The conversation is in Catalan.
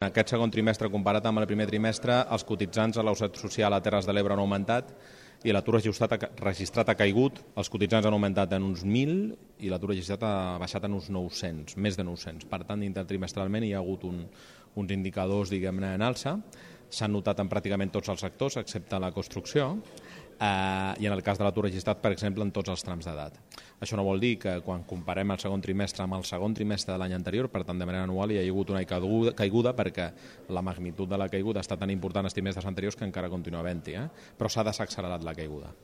En aquest segon trimestre, comparat amb el primer trimestre, els cotitzants a la Seguretat Social a Terres de l'Ebre han augmentat i l'atur registrat ha caigut. Els cotitzants han augmentat en uns 1.000 i l'atur registrat ha baixat en uns 900, més de 900. Per tant, intertrimestralment hi ha hagut uns indicadors, diguem-ne, en alça. S'han notat en pràcticament tots els sectors, excepte la construcció, i en el cas de l'atur registrat, per exemple, en tots els trams d'edat. Això no vol dir que quan comparem el segon trimestre amb el segon trimestre de l'any anterior, per tant, de manera anual, hi ha hagut una caiguda perquè la magnitud de la caiguda ha estat tan important els trimestres anteriors que encara continua havent-hi, però s'ha desaccelerat la caiguda.